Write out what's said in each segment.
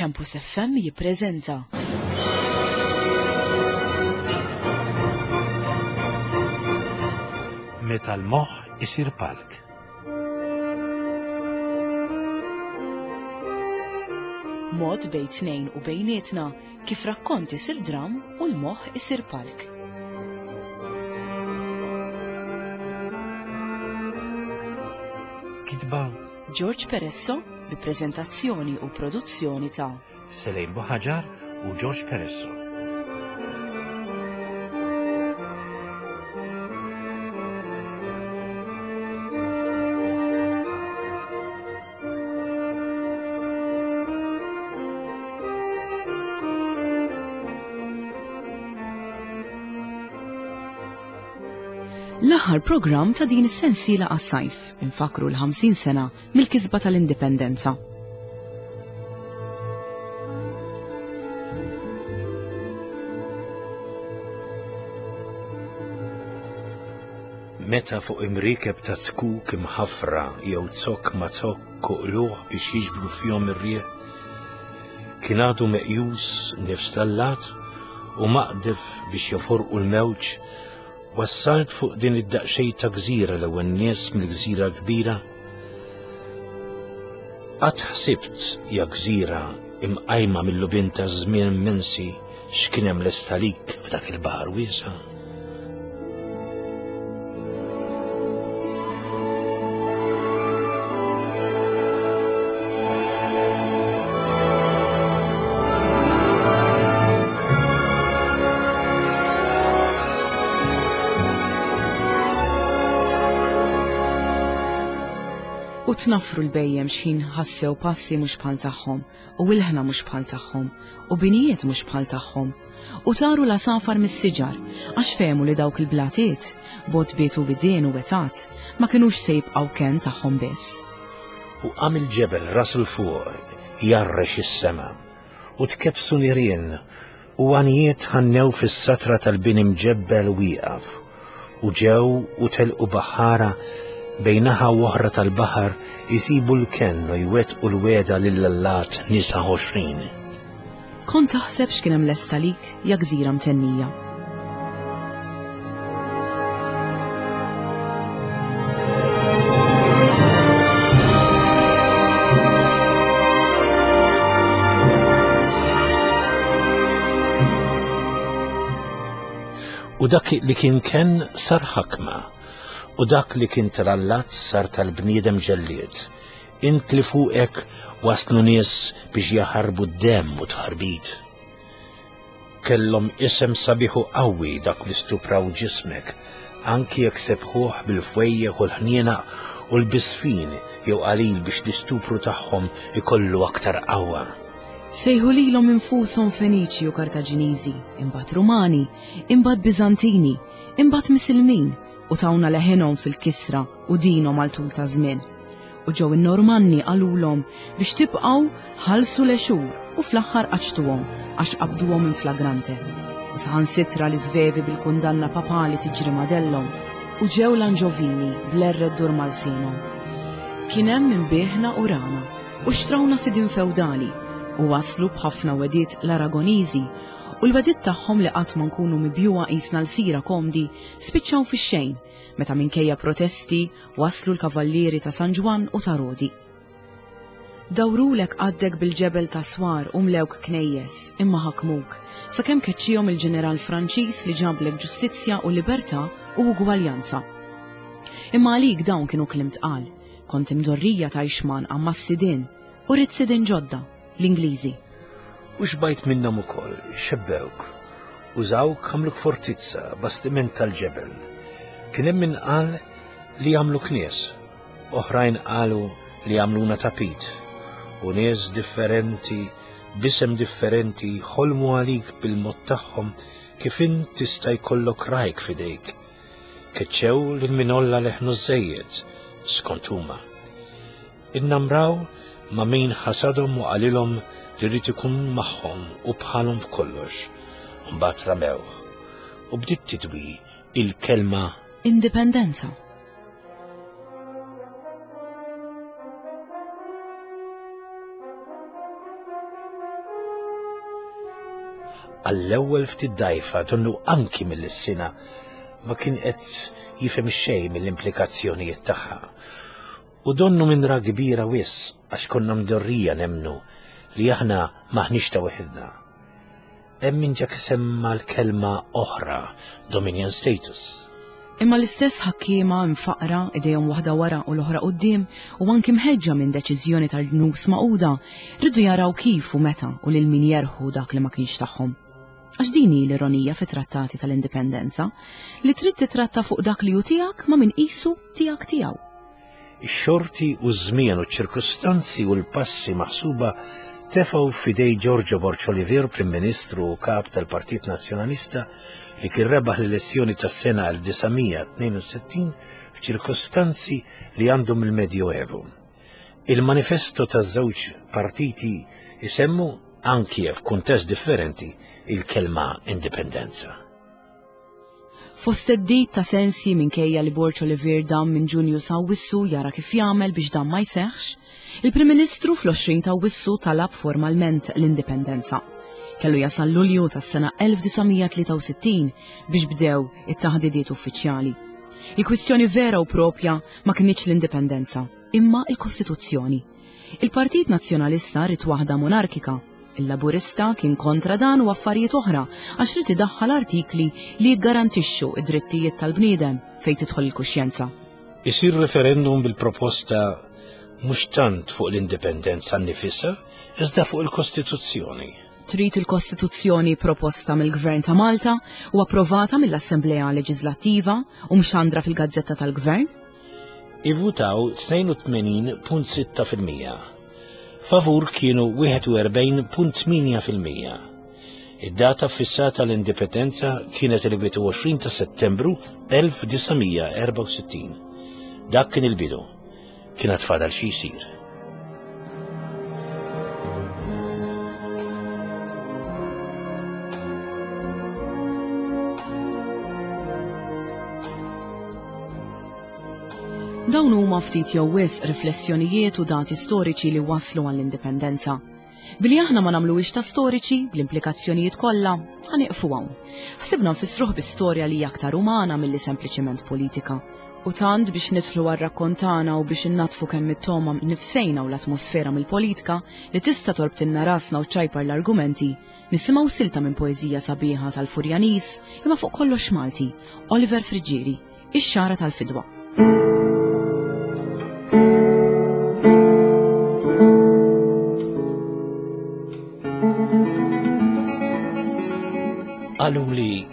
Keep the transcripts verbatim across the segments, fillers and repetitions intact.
Campus F M jippreżenta Meta l-moħħ isir palk. Mod bejn tnejn u bejnietna kif rakkont isir dram u l-moħħ isir palk. Kitba George Peresso bi prezentazzjoni u produzzjoni ta' Selejn Buħaġar u George Peresso. L-aħħar programm ta' din is-sensiela għas-sajf, infakru l-ħamsin sena mill-kisba tal-Indipendenza. Meta fuq imrikeb ta' zkuk imħafra jew zokk ma' zokk uqluħ biex jiġbru fihom ir-riħ, kien għadu meqjus nifs tal-lat u maqdef biex joforqu l-mewġ, wassalt fuq din id-daqsxejn ta' gżira l-ewwel nies mill-gżira kbira. Qatt ħsibt ja gżira imqajma mill-lubin ta' żmien immensi x'kien hemm lest għalik f'dak il-baħar wiesa'. U tnaffru l-bejjem xħin ħassew passi mhux bħal tagħhom, u ilħna mhux bħal tagħhom, u binijiet mhux bħal tagħhom, u taru l-għasafar mis-siġar, għax fehmu li dawk il-blatiet, botbiet u bidien u wetat, ma kinux se jibqgħu kenn tagħhom biss. U qam il-ġebel ras il fuq jarrex is-sema, u tkebsu nirien, u għanijiet ħannew fis-satra tal-bini mġebbel wieqaf, u ġew u telqu baħara bejnaħa u oħra tal-baħar jisibu l-kenn u jwettqu l-weda lill-allat nisa għoxrin. Kont taħseb x'kien hemm lest għalik ja gżira mtennija. U dak li kien kenn sar ħakma, u dak li kien tal-allat sar tal-bniedem ġellied. Int li fuqek waslu nies biex jaħarbu d-demm u tħarbit. Kellhom isem sabiħ u qawwi dak li stupraw ġismek, anki jekk sebħuh bil-fwejjeħ u l-ħniena u l-bisfin jew qalil biex l-istupru tagħhom ikollu aktar qawwa. Sejħu lilhom infushom Feniċi u Kartaġiniżi, imbagħad Rumani, imbagħad Biżantini, imbagħad Misilmin, u tawna leħinhom fil-kisra u dinhom għal tul ta' żmien. U ġew in-Normanni qalulhom biex tibqgħu ħallsu l-għexur u fl-aħħar qaċtuhom għax qabduhom in flagrante. U saħansitra l-Iżvevi bil-kundanna papali tiġri madellhom u ġew l-Anġovini bl-erre ddur mal-sinhom. Kien hemm min bieħna u rana u xtrawna sidin feudali u waslu b'ħafna wediet l-Aragoniżi u l-wedit tagħhom li qatt ma nkunu mibjuha qisna l-sira komdi spiċċaw fix-xejn meta minkejja protesti waslu l-kavallieri ta' San Ġwann u ta' Rodi. Dawrulek għaddek bil-ġebel ta' swar u mlewk knejjes imma ħakmuk sakemm keċċihom il-ġeneral Franċiż li ġablek ġustizzja u libertà u ugwaljanza. Imma għalik dawn kienu kliem tqal, kont imdorrija ta' ixman għamma s-sidien u rrid sidien ġodda, l-Ingliżi. U xbajt minnhom ukoll, xebbewk, użawk għamluk fortizza, bastiment tal-ġebel. Kien hemm min qal li għamlu knies, oħrajn qalu li għamluna tapit, u nies differenti, b'isem differenti, ħolmu għalik bil-mod tagħhom kif int tista' jkollok rajk f'idejk. Keċċew lil min olla leħnu żejjed, skont huma. Innamraw ma' min ħasadhom u qalilhom li rrid ikun magħhom u bħalhom f'kollox. Mbagħad ramew u bdiet tidwi il-kelma Indipendenza. Għall-ewwel ftit dgħajfa donnu anki mill-sina ma kien qed jifhem xejn mill-implikazzjonijiet tagħha. U donnu minn ra kbira wis għax konna mdorrija nemmnu li aħna maħniex ta' weħidna. Hemm min ġa semma l-kelma oħra, Dominion Status. Imma l-istess ħakkiema mfaqra idejhom waħda wara u l-oħra quddiem u anki mħeġġa minn deċiżjoni tal-ġnus Magħquda rridu jaraw kif u meta u lil min jerħu dak li ma kienx tagħhom. Għax din hi l-ironija fit-trattati tal-indipendenza li trid titratta fuq dak li hu tiegħek ma min qisu tiegħek tiegħu. Ix-xorti u ż-żmien u ċ-ċirkustanzi u l-passi maħsuba tefgħu f'idej Giorgio Borg Olivier, Prim Ministru u Kap tal-Partit Nazzjonalista, li kien rebaħ l-elezzjoni tas-sena elf disa' mija tnejn u sittin f'ċirkustanzi li għandhom il-Medjoevu. Il-manifesto taż-żewġ partiti isemmu, anki f'kuntest differenti, il-kelma indipendenza. Fost theddid ta' sensi minkejja li Borg Olivier dam minn Ġunju sa Awwissu jara kif jagħmel biex dan ma jseħħx, il-Prim Ministru fl-għoxrin ta' Awwissu talab formalment l-indipendenza. Kellu jasal Lulju tas-sena elf disa' mija tlieta u sittin biex bdew it-taħdidiet uffiċjali. Il-kwistjoni vera u propja ma kinitx l-indipendenza, imma il-Kostituzzjoni. Il-Partit Nazzjonalista rid waħda monarkika. Il-Laburista kien kontra dan u affarijiet oħra għax rid idaħħal artikli li jiggarantixxu id-drittijiet tal-bniedem fejn tidħol il-kuxjenza. Isir referendum bil-proposta mhux tant fuq l-indipendenza nnifisha, iżda fuq il-Kostituzzjoni. Trid il-Kostituzzjoni proposta mill-Gvern ta' Malta u approvata mill-Assemblea Leġislattiva u mxandra fil-Gazzetta tal-Gvern? Ivvutaw tnejn u tmenin punt sitta fil-mija. Favur kienu wieħed u erbgħin punt tmienja fil-mija. Id-data fissata l-indipendenza kienet il-wieħed u għoxrin ta' Settembru elf disa' mija erbgħa u sittin. Dak kien il-bidu. Kien għad fadal xi jsir. Dawn huma ftit jew wisq riflessjonijiet u dati storiċi li waslu għall-indipendenza. Billi aħna ma nagħmluhiex ta' storiċi bl-implikazzjonijiet kollha, ħaniqfu hawn. Ħsibna nfissruh bi storja li hija aktar umana milli sempliċiment politika. U tant biex nidħlu għar-rakkontana u biex innatfu kemm it-toma nifsejna u l-atmosfera mill-politika li tista' torbtilna rasna u ċajpar l-argumenti, nisimgħu silta minn poeżija sabiħa tal-Furjaniż imma fuq kollox Malti, Oliver Friggieri, Ix-Xagħra tal-Fidwa. Qalu li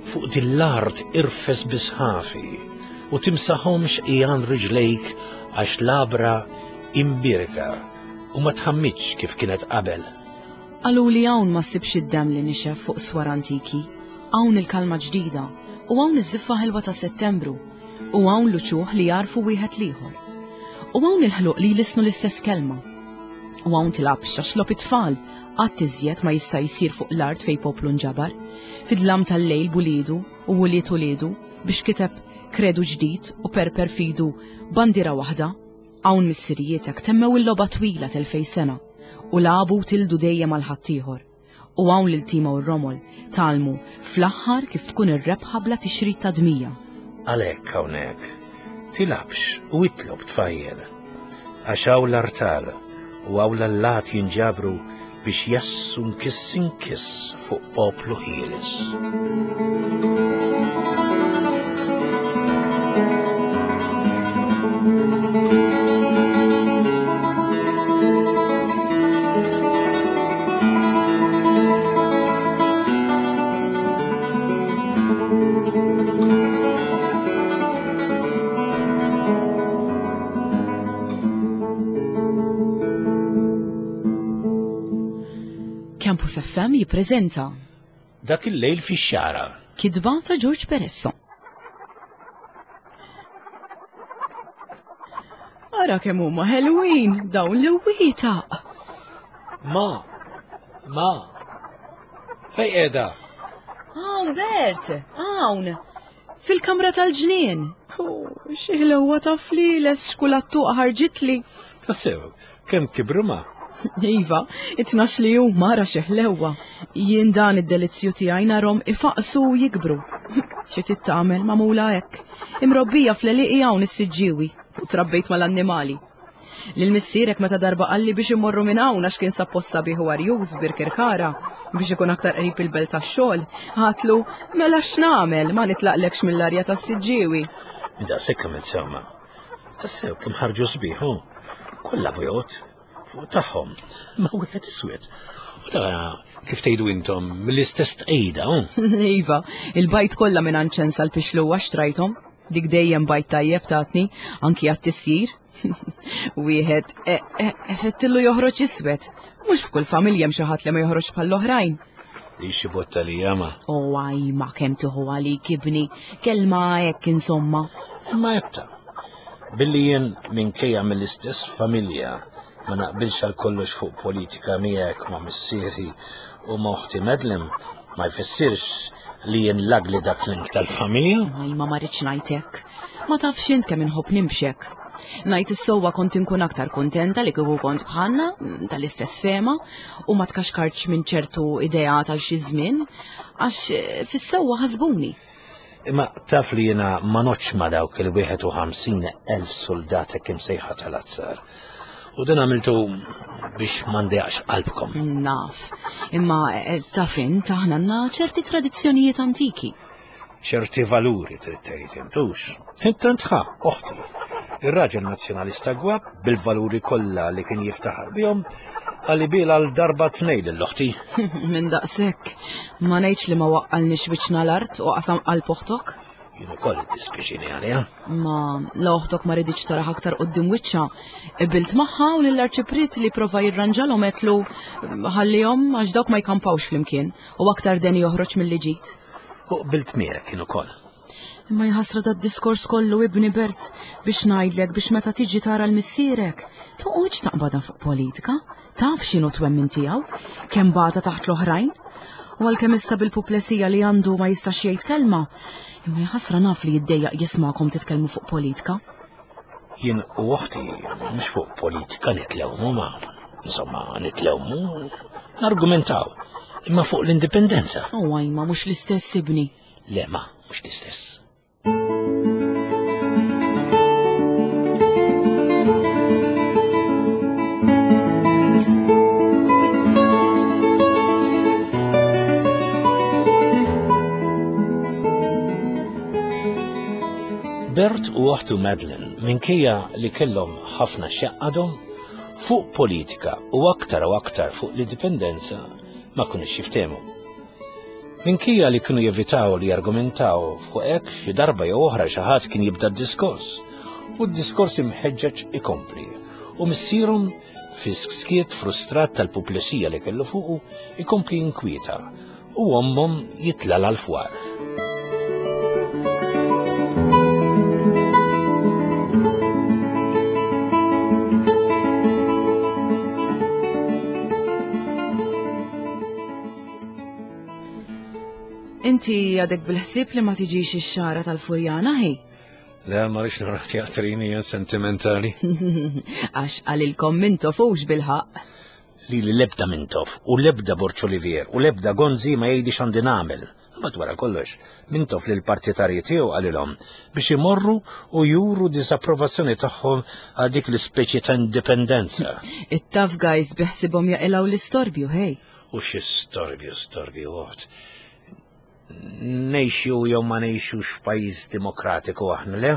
fuq din l-art irfes bisħafi u timsaħomx ijan riġlejk għax labra imbirka u ma tħammitx kif kienet qabel. Qalu li hawn ma ssibx id-demm li nixef fuq swar antiki, hawn il-kalma ġdida u hawn iż-żiffa ħelwa ta' Settembru u hawn l-uċuħ li jarfu wieħed l-ieħor. U hawn il-ħluq li jlisnu l-istess kelma. U hawn tilgħabx għax logħob it-tfal qatt iżjed ma jista' jsir fuq l-art fejn poplu nġabar, fid-dlam tal-lejl bulidu u wuliet uliedu biex kiteb kredu ġdid u perper fidu bandiera waħda. Hawn missirietek temmew il-logħba twila telfej sena u lagħbu u tildu dejjem għal ħaddieħor. U hawn lil tima u r-romol talmu fl-aħħar kif tkun ir-rebħa bla tixrid ta' dmija. Għalhekk hawnhekk tilgħabx u itlob tfajjel għax hawn l-artal u hawn l-allat jinġabru biex jassu nkiss inkiss fuq poplu ħieles. Campus F M jippreżenta Dak il-lejl fix-xagħra. Kitba ta' George Peresso. Ara kemm huma ħelwin dawn l-wietaq. Ma, ma, fej qiegħda? Hawn Bert, hawn, fil-kamra tal-ġnien. Oh, xi ħlewwa ta' flieles xkulattuq ħarġitli. Tassew, kemm kibru ma? Iva, it-tnax li huma ara xi ħlewwa. Jien dan id-delizzju tiegħi narhom ifaqsu u jikbru. Xi trid tagħmel magħmula hekk. Imrobbija fl-għelieqi hawn is-Siġġiewi u trabbejt mal-annimali. Lil missierek meta darba qalli biex immorru minn hawn għax kien sab post sabiħ u arjuż Birkirkara biex ikun aktar qrib il-belt tax-xogħol, għatlu mela x'nagħmel ma nitlaqlekx mill-arja tas-Siġġiewi. Daqshekk għamilt sewma. Tassew kemm ħarġu sbieħ, hu. Kollha bojod fuq tagħhom, ma wieħed iswed. U da kif tgħidu intom mill-istess tqejda, hu. Iva, il-bajd kollha minn għand Ċensa l-Pixluwa xtrajthom. Dik dejjem bajd tajjeb tatni, anki għat-tisjir. Wieħed e, e, effettillu joħroġ iswed. Mhux f'kull familja hemm xi ħadd li ma joħroġ bħall-oħrajn. Li xi botta li jama. O għaj ma kemm tieħu għalik ibni, kelma hekk insomma. Imma jetta, billi jien minkejja mill-istess familja ma naqbilx għal kollox fuq politika miegħek ma' missieri u ma' oħti Madeleine, ma jfissirx li jien lagli dak link tal-familja. Għaj ma ma rridx ngħid hekk. Ma tafx int kemm inħobb nimxek. Ngħid is-sewwa kont inkun aktar kuntenta li kieku kont bħalna tal-istess fema u ma tkaxkartx minn ċertu idea tal xi żmien għax eh, fis-sewwa ħasbuni. Imma taf li jiena ma noċ ma dawk il-wieħed u ħamsin elf soldat hekk imsejħa tal-azzar. U dan għamiltu biex ma ndejaqx qalbkom. Naf, imma eh, taf int aħna għandna ċerti tradizzjonijiet antiki. Ċerti valuri trid tgħid intux. Intant ħa, oħti, ir-raġel nazzjonalista gwab bil-valuri kollha li kien jiftaħar bihom għalli bil għal darba tnejn lill-oħti. Minn daqshekk, ma ngħidx li ma waqqalniex wiċċna l-art u qasam qalb oħtok. Jien ukoll iddispjaċini għaliha. Ma la oħtok ma riditx taraħ aktar quddiem wiċċha, qbilt magħha u lill-arċipriet li prova jirranġalhom għedtlu ħallihom għax dawk ma jkampawx flimkien u aktar deni joħroġ milli ġid. U qbilt miegħek kien ukoll. Imma jħassra da diskors kollu ibni Bert biex ngħidlek biex meta tiġi tara l-missierek, toqgħodx taqbadha fuq politika, taf x'inhu twemmin tiegħu, kemm bata taħt l-oħrajn. U għalkemm issa bil-puplesija li għandu ma jistax jgħid kelma, imma jħassra naf li jiddejjaq jismakom titkellmu fuq politika. Jien u oħti mhux fuq politika nitlewmu ma, insomma nitlewmu, nargumentaw, imma fuq l-indipendenza. U għajma mhux l-istess ibni. Le ma, mhux l-istess. Bert u oħtu Madeleine, minkejja li kellhom ħafna x'jaqadhom, fuq politika u aktar u aktar fuq l-indipendenza ma kinux jiftehmu. Minkejja li kienu jevitaw li jargumentaw fuq hekk xi darba jew oħra xi ħadd kien jibda d-diskors, u d-diskors imħeġġeġ ikompli, u missierhom fi skiet frustrat tal-puplesija li kellu fuqu ikompli jinkwieta, u ommhom jitla' l-fwar. Inti għadek bil-ħsieb li ma tiġix ix-xara tal-Furjana, ħej? Le, ma rridx nara teatrini jien sentimentali. Għax għalilkom Mintoff hux bil-ħaqq. Li li lebda Mintoff u lebda Borg Olivier u lebda Gonzi ma jgħidix għandi nagħmel. Imbagħad wara kollox, Mintoff lil partitarji tiegħu qalilhom biex imorru u juru disapprovazzjoni tagħhom għal dik l-ispeċi ta' indipendenza. It-tough guys biħsibhom jaqilgħu l-istorbju, ħej. U xi storbju, storbju għod. Nejxu jew ma nejxux f'pajjiż demokratiku aħna, le?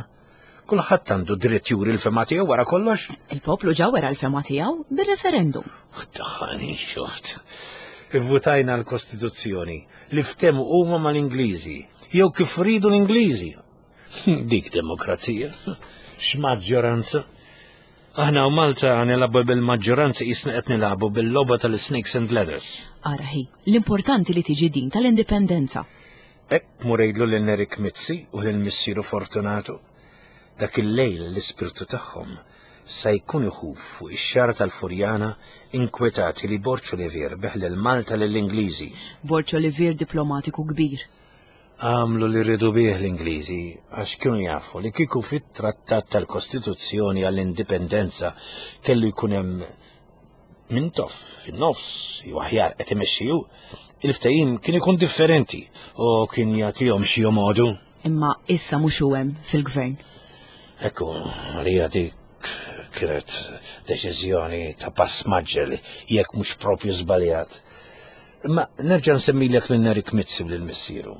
Kulħadd għandu dritt juri l-fema tiegħu wara kollox. Il-poplu ġa wera l-fema tiegħu bir-referendum. Taħani xort. Ivvutajna l-Kostituzzjoni li ftehmu huma mal-Ingliżi jew kif ridu l-Ingliżi. Dik demokrazija. X'maġġoranza. Aħna u Malta nilagħbu bil-maġġoranza qisna qed nilagħbu bil-logħba tal-Snakes and Ladders. Ara hi, l-importanti li tiġi din tal-indipendenza. Hekk murejlu lil Nerik Mizzi u lil missieru Fortunato. Dak il-lejl l-ispirtu tagħhom sa jkun iħuf fuq ix-xara tal-Furjana inkwetati li Borg Olivier beħ lil Malta lill-Ingliżi. Borg Olivier diplomatiku kbir. Għamlu li rridu bih l-Ingliżi għax kienu jafu li kieku fit-trattat tal-Kostituzzjoni għall-Indipendenza kellu jkun hemm Mintoff fin-nofs jew aħjar qed imexxi hu, il-ftehim kien ikun differenti u kien jagħtihom xi jomodu. Imma issa mhux hu hemm fil-gvern. Ekku, għalija dik kienet deċiżjoni ta' pass maġġel jekk mhux propju żbaljat. Imma nerġa' nsemmilek lil Nerik Mizzi u lil missieru.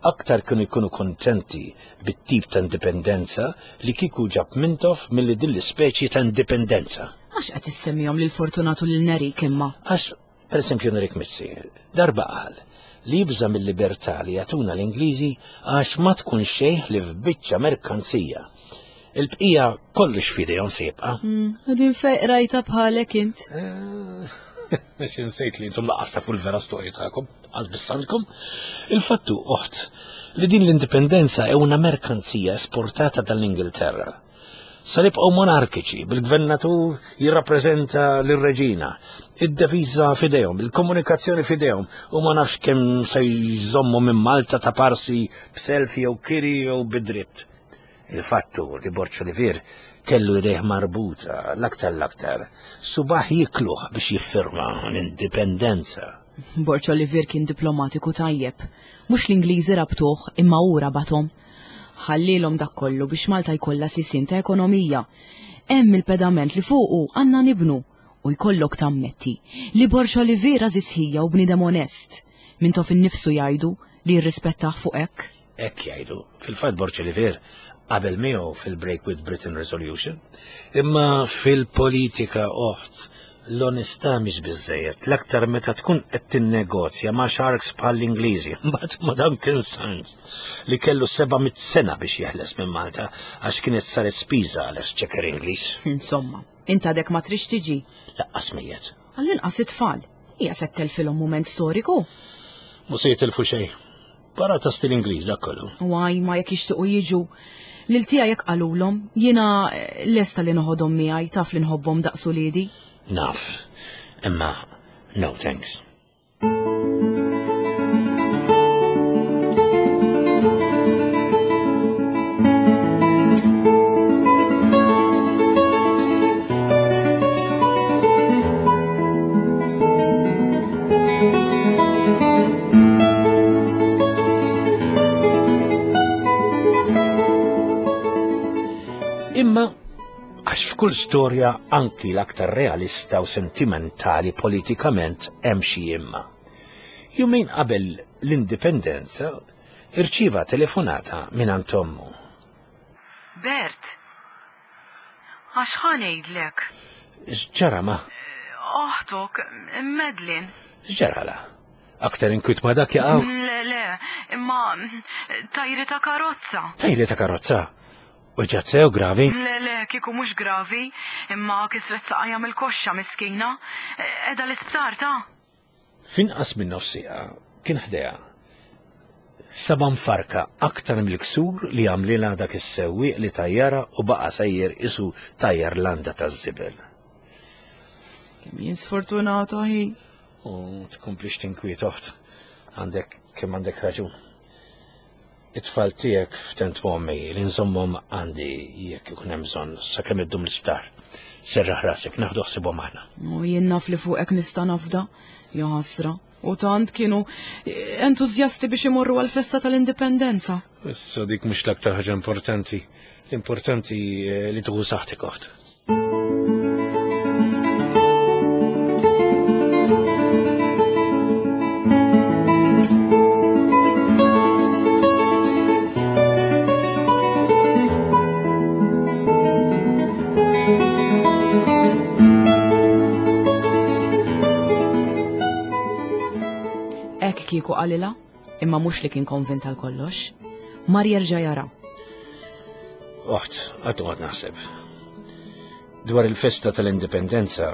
Aktar kienu jkunu kontenti bit-tip ta' indipendenza li kieku ġab Mintoff milli din l-ispeċi ta' indipendenza. Għax qed issemmihom lil Fortunatu lil Nerik imma? Għax, per esempio, Nerik Mizzi, darba qal li jibża' mill-libertà li jagħtuna l-Ingliżi għax ma tkun xejn li f'biċċa merkanzija. Il-bqija kollox f'idejhom se jibqa'. Din fejn rajta bħalek int. Biex insejt li intom laqas tafu l-vera storja tagħkom, għaz bissandkom. Il-fattu, oħt, li din l-indipendenza è una merkanzija esportata dall-Ingilterra. Se nibqgħu monarkiċi, bil-gvernatur jirrappreżenta lir-reġina, id-deviża f'idejhom, il-komunikazzjoni f'idejhom, u ma nafx kemm se jżommu minn Malta ta' parsi b'selfie jew kiri jew bidritt. Il-fattu li Borg Olivier kellu idejh marbuta l-aktar l-aktar, subaħ jikluh biex jiffirma l-indipendenza. Borg Olivier kien diplomatiku tajjeb. Mhux l-Ingliżi rabtuh imma hu rabathom. Ħallilhom dak kollu biex Malta jkollha sisien ta' ekonomija. Hemm il-pedament li fuqu għandna nibnu u jkollok tammetti li Borg Olivier għażiż ħija u bniedem onest. Mintoff innifsu jgħidu li jirrispettah fuq hekk. Hekk jgħidu. Fil-fatt Borg Olivier qabel miegħu fil-Break with Britain Resolution. Imma fil-politika oħt l-onestà mhix biżżejjed, l-aktar meta tkun qed tinnegozja ma' sharks bħall-Ingliżi, mbagħad ma' Duncan Sandys li kellu seba' mitt sena biex jeħles minn Malta għax kienet saret spiża għal exchequer Ingliż. Insomma, int għadek ma trix tiġi. Laqqas mejjet. Għall-inqas it-tfal. Hija se telfilhom mument storiku. Mhu se jitilfu xejn. Para ta' stil Ingliż dak kollu. Waj, ma jekk jixtiequ jiġu. Lil tiegħi jekk qalulhom, jiena lesta li noħodhom miegħi, taf li nħobbhom daqs uliedi. Naf, imma no thanks. Imma għax f'kull storja anki l-aktar realista u sentimentali politikament hemm xi imma. Jumejn qabel l-indipendenza irċieva telefonata minn għand ommu. Bert, għax ħa ngħidlek? X'ġara ma? Oħtok, Madeline. X'ġarala? Aktar inkwiet ma dak jaqgħu? Le, le, imma tajri ta' karozza. Tajri ta' karozza? U ġat sew gravi? Le, le, kieku mhux gravi, imma kisret saqajja mill-koxxa miskina. Qiegħda l-isptar ta'. Finqas minn nofsija kien ħdejha. Saba mfarka aktar mill-ksur li għamlilha dak is-sewwieq li tajjara u baqa' sejjer isu tajjar landa taż-żibel. Kemm jien sfortunata hi. U tkomplix tinkwiet oħt. Għandek kemm għandek raġun. It-tfal tiegħek ftent ommi li nżommhom għandi jekk ikun hemm bżonn sakemm iddum l-isptar. Serraħ rasek, naħdu ħsibhom aħna. U jien naf li fuqek nista' nafda, ja ħasra. U tant kienu entużjasti biex imorru għall-festa tal-indipendenza. Issa dik mhux l-aktar ħaġa importanti. L-importanti li tieħu saħħtek oħt. Hekk kieku qalilha, imma mhux li kien konvint għal kollox. Mar jerġa' jara. Oħt, għad toqgħod naħseb. Dwar il-festa tal-indipendenza,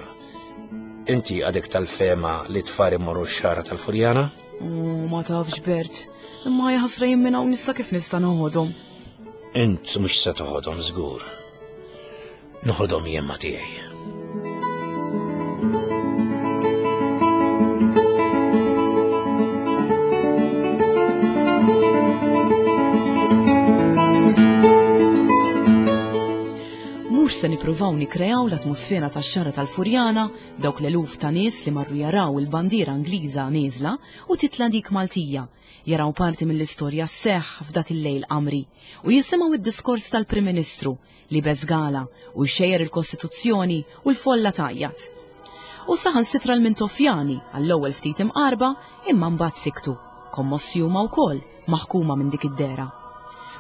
inti għadek tal-fema li tfar imorru x-xara tal-Furjana? U ma tafx Bert, imma jaħasra jien minn hawn issa kif nista' noħodhom. Int mhux se toħodhom żgur. Noħodhom jien ma' tiegħi. Mhux se nippruvaw nikkreaw l-atmosfera tax-xara tal-Furjana, dawk l-eluf ta' nies li marru jaraw il-bandiera Ingliża nieżla u titla' dik Maltija, jaraw parti mill-istorja sseħħ f'dak il-lejl qamri u jisimgħu id-diskors tal-Prim Ministru li beżgala u jxejjer il-Kostituzzjoni u l-folla tgħajjat. U saħansitra l-Mintoffjani għall-ewwel ftit imqarba imma mbagħad siktu, kommossi huma wkoll maħkuma minn dik id-dehra.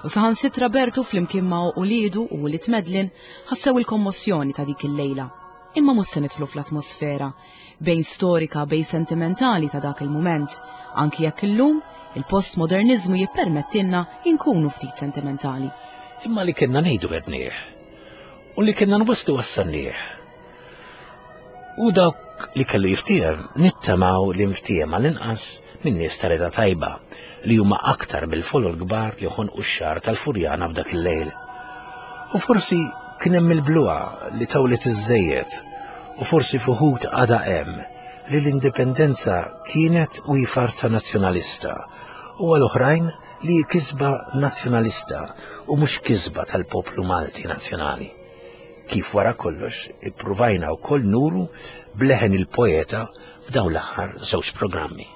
U saħansitra Bertu flimkien ma' uliedu u ulied Medlin ħassew il-kommossjoni ta' dik il-lejla. Imma mhux se nidħlu fl-atmosfera bejn storika bejn sentimentali ta' dak il-mument, anki jekk illum il-postmodernizmu jippermettilna inkunu ftit sentimentali. Imma li kellna ngħidu għednieh u li kellna nwasslu wassalnieh. U dawk li kellu jiftiehem nittamaw li nftiehem għall-inqas minn nies ta' rida tajba li huma aktar bil-folol kbar li ħonqu x-xahar tal-Furjana f'dak il-lejl. U forsi kien hemm il-bluha li tawlet iżżejjed u forsi fuħut għadha hemm li l-indipendenza kienet u hi farsa nazzjonalista u għal oħrajn li hi kisba nazzjonalista u mhux kisba tal-poplu Malti nazzjonali. Kif wara kollox ippruvajna wkoll nuru bleħen il-poeta f'dawn l-aħħar żewġ programmi.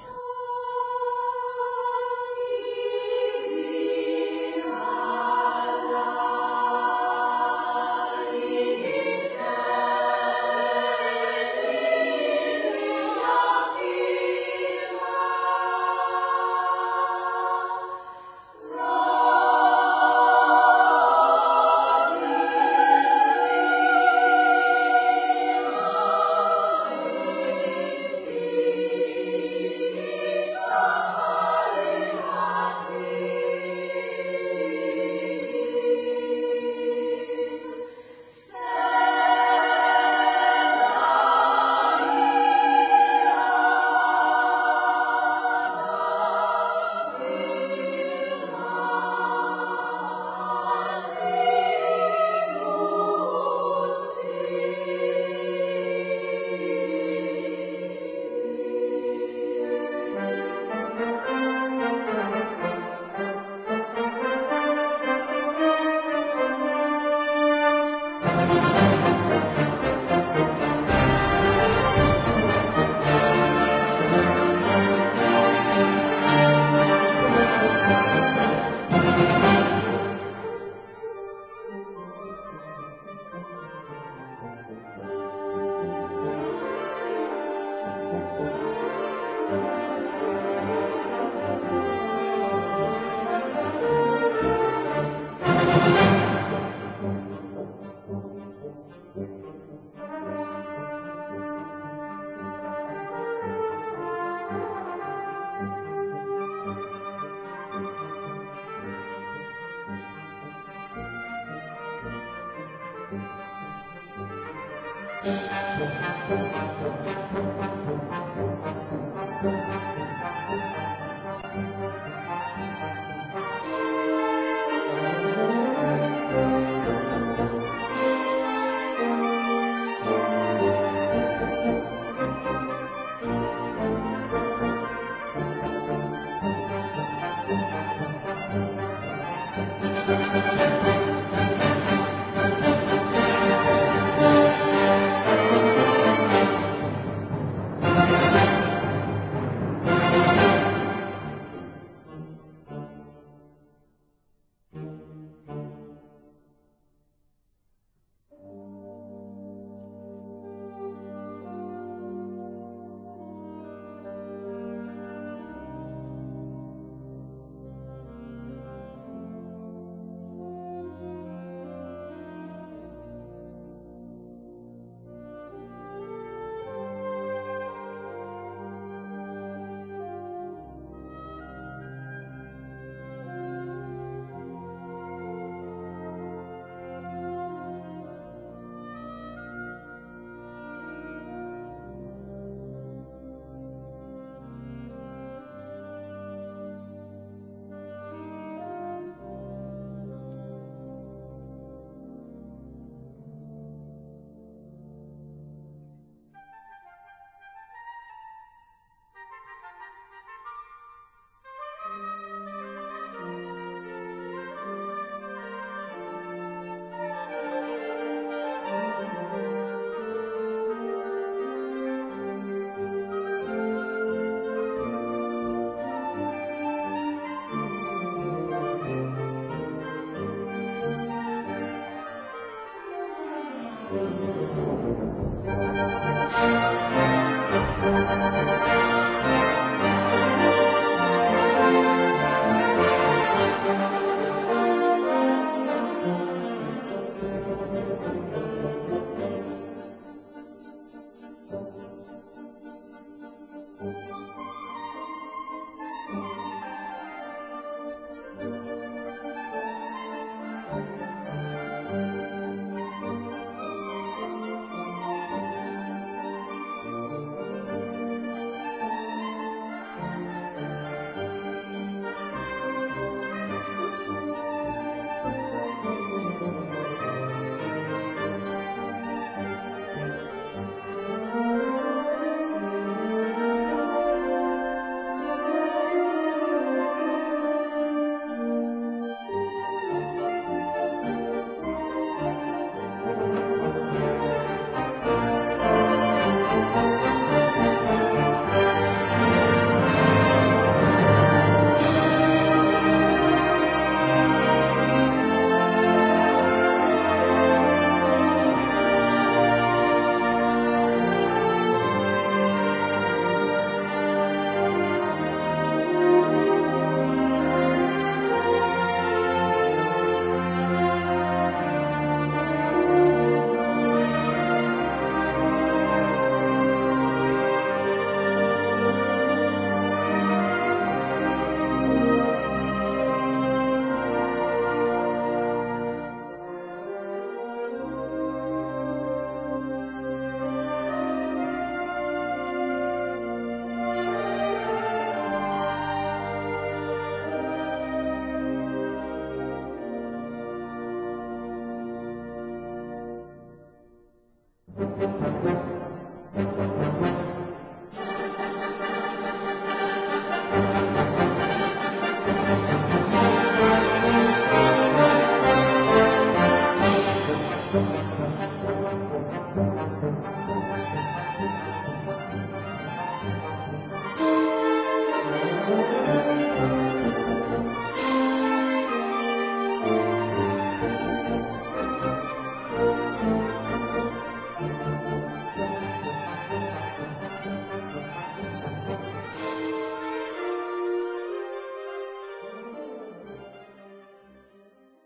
Thank you.